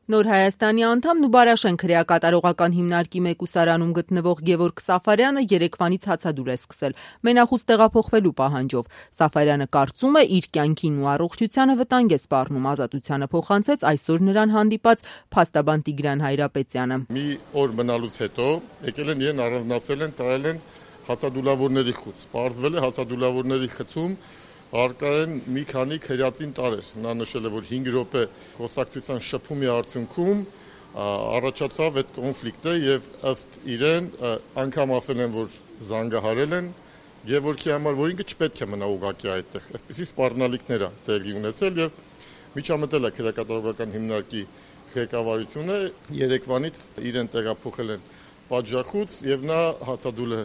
Նոր Հայաստանի անդամ Նուբարաշեն քրեակատարողական հիմնարկի մեկուսարանում գտնվող Գևորգ Սաֆարյանը երեկվանից հացադուլ է սկսել մենախուս տեղափոխվելու պահանջով։ Սաֆարյանը կարծում է, իր կյանքին ու առողջությանը վտանգ է սպառնում, ազատությանը փոխանցեց այսօր նրան հանդիպած փաստաբան Տիգրան Հայրապետյանը։ Մի օր մնալուց հետո եկել են իրեն առանձնացել են, տարել են հացադուլավորների խուց։ Պարզվել է հացադուլավորների խցում արկա են մի քանի քրեատին տարեր։ Նա նշել է, որ 5 րոպե խոսակցության շփումի արդյունքում առաջացավ այդ կոնֆլիկտը եւ ըստ իրեն անգամ ասել են, որ զանգահարել են Գևորգի համար, որ ինքը չպետք է մնա ուղղակի այդտեղ։ Այսպիսի սպառնալիքներ է տեղի ունեցել եւ միջամտել է քրեակատարողական հիմնարկի ղեկավարությունը երեկվանից իրեն տեղափոխել են պատժախուց եւ նա հացադուլ է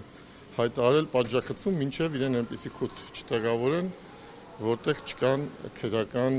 հայտարարել պատժախցում, մինչեւ իրեն այնպիսի խուց չտեղավորեն, որտեղ չկան քրեական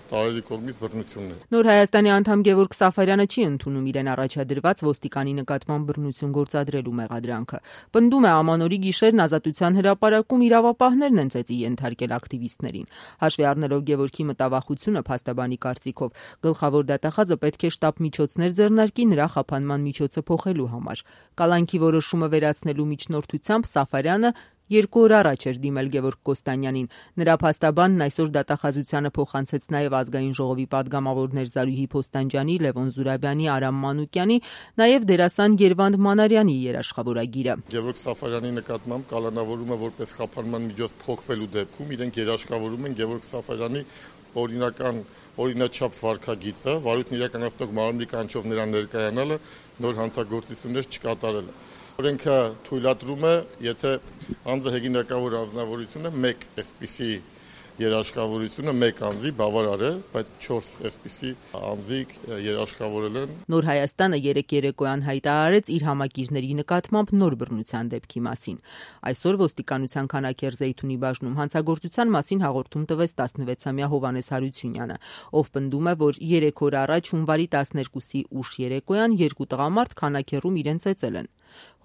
տարերի կողմից բռնություններ։ Նոր Հայաստանի անդամ Գևորգ Սաֆարյանը չի ընդունում իրեն առաջադրված ոստիկանի նկատմամբ բռնություն գործադրելու մեղադրանքը։ Պնդում է ամանորի գիշերն ազատության հրապարակում իրավապահներն են ծեծի ենթարկել ակտիվիստներին։ Հաշվի առնելով Գևորգի մտավախությունը, փաստաբանի կարծիքով գլխավոր դատախազը պետք է շտապ միջոցներ ձեռնարկի նրա խափանման միջոցը փոխելու համար։ Կալանքի որոշումը վերացնելու միջնորդությամբ Սաֆարյանը 2 օր առաջ էր դիմել Գևորգ Կոստանյանին։ Նրա փաստաբանն այսօր դատախազությանը փոխանցեց նաև ազգային ժողովի պատգամավորներ Զարուհի Փոստանջյանի, Լևոն Զուրաբյանի, Արամ Մանուկյանի, նաև դերասան Երվանդ Մանարյանի երաշխավորագիրը։ Գևորգ Սաֆարյանի նկատմամբ կալանավորումը որպես խափանման միջոց փոխվելու դեպքում իրենք երաշխավորում են Գևորգ Սաֆարյանի օրինաչափ վարքագիծը, վարույթն իրականացնող մարմնի կանչով նրան ներկայանալը, նոր հանցագործություններ չկատարելը։ Օրենքը թույլատրում է, եթե անձը հեղինակավոր անձնավորությունը մեկ այսպիսի երաշխավորությունը մեկ անձի բավարար է, բայց 4 այսպիսի անձի երաշխավորել են։ Նոր Հայաստանը երեկոյան հայտարարեց իր համակիրների նկատմամբ նոր բռնության դեպքի մասին։ Այսօր ոստիկանության Քանաքեռ Զեյթունի բաժնում հանցագործության մասին հաղորդում տվեց 16-ամյա Հովհաննես Հարությունյանը, ով պնդում է, որ 3 օր առաջ հունվարի 12-ի ուշ երեկոյան 2 տղամարդ Քանաքեռում իրեն ծեծել են։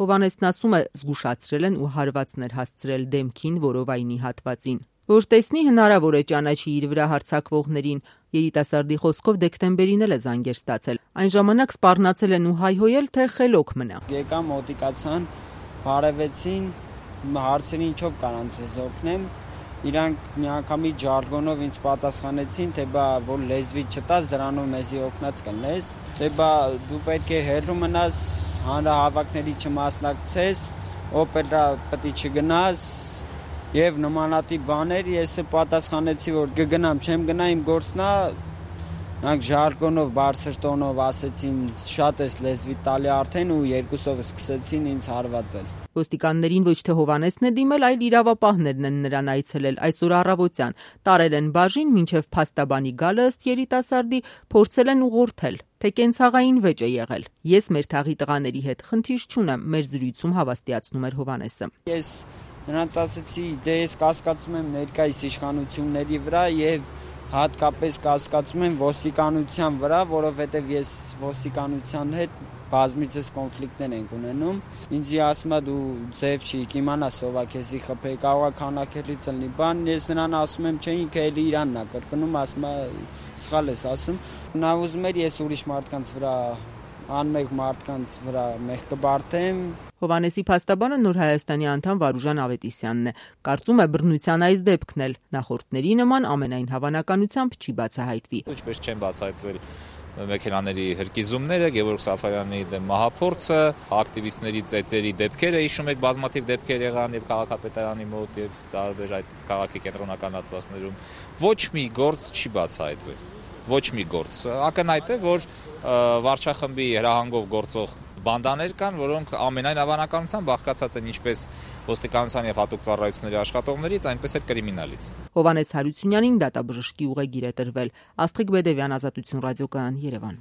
Հովհաննեսն ասում է, զգուշացրել են ու հարվածներ հասցրել դեմքին, որովայնի հատվածին։ Որ տեսնի հնարավոր է ճանաչի իր վրա հարձակվողներին, երիտասարդի խոսքով դեկտեմբերին էլ է զանգեր ստացել։ Այն ժամանակ սպառնացել են ու հայհոյել, թե խելոք մնա։ Եկան մոտիկացան, բարևեցին, հարցերին ինչով կարամ ձեզ օգնեմ։ Իրանք միանգամից ժարգոնով ինձ պատասխանեցին, թե բա որ լեզվի չտաս, դրանով մեզի օգնած կլնես, թե բա դու պետք է հեռու մնաս, հանրահավաքների չմասնակցես, օպերա պետք է չգնաս եւ նմանատիպ բաներ։ Ես պատասխանեցի, որ կգնամ, չեմ գնա, իմ գործն է։ Նրանք ժարգոնով բարձր տոնով ասեցին, շատ էս լեզվի տալի արդեն ու երկուսով սկսեցին ինձ հարվածել։ Ոստիկաններին ոչ թե Հովհաննեսն է դիմել, այլ իրավապահներն են նրան այցելել այսօր առավոտյան, տարել են բաժին, մինչև փաստաբանի գալը ըստ երիտասարդի փորձել են ուղղորդել, թե կենցաղային վեճ է եղել։ Ես մեր թաղի տղաների հետ խնդիր չունեմ, մեր զրույցում հավաստիացնում էր Հովհաննեսը։ Ես նրանց ասեցի, դե ես կասկածում եմ ներկայիս իշխանությունների վրա եւ հատկապես կասկածում եմ ոստիկանության վրա, որովհետեւ ես ոստիկանության հետ բազմիցս կոնֆլիկտներ ենք ունենում։ Ինձ ասում է դու ձև չի, կիմանաս ով է քեզի խփե, կարող է Քանաքեռից լինի բան։ Ես նրան ասում եմ, չէ, ինքը էլի Իրանն է կրկնում, ասում է սխալ ես ասում։ Նա ուզում էր ես ուրիշ մարդկանց վրա անմեղ մարդկանց վրա մեղք կբարթեմ։ Հովհաննեսի փաստաբանը Նոր Հայաստանի անդամ Վարուժան Ավետիսյանն է։ Կարծում է բռնության այս դեպքն էլ նախորդների նման ամենայն հավանականությամբ չի բացահայտվի։ Ինչպես չեն բացահայտվել մեքենաների հրկիզումները, Գևորգ Սաֆարյանի դեմ մահափորձը, ակտիվիստների ծեծերի դեպքերը, հիշում եք բազմաթիվ դեպքեր եղան եւ քաղաքապետարանի մոտ եւ տարբեր այդ քաղաքի կենտրոնական հատվածներում։ Ոչ մի գործ չի բացահայտվել։ Ոչ մի գործ։ Ակնհայտ է, որ վարչախմբի հրահանգով գործող բանդաներ կան, որոնք ամենայն հավանականությամբ բաղկացած են ինչպես ոստիկանության եւ հատուկ ծառայությունների աշխատողներից, այնպես էլ կրիմինալից։ Հովհաննես Հարությունյանին դատաբժշկի ուղեգիր է տրվել։ Աստղիկ Բեդևյան, Ազատություն ռադիոկայան, Երևան։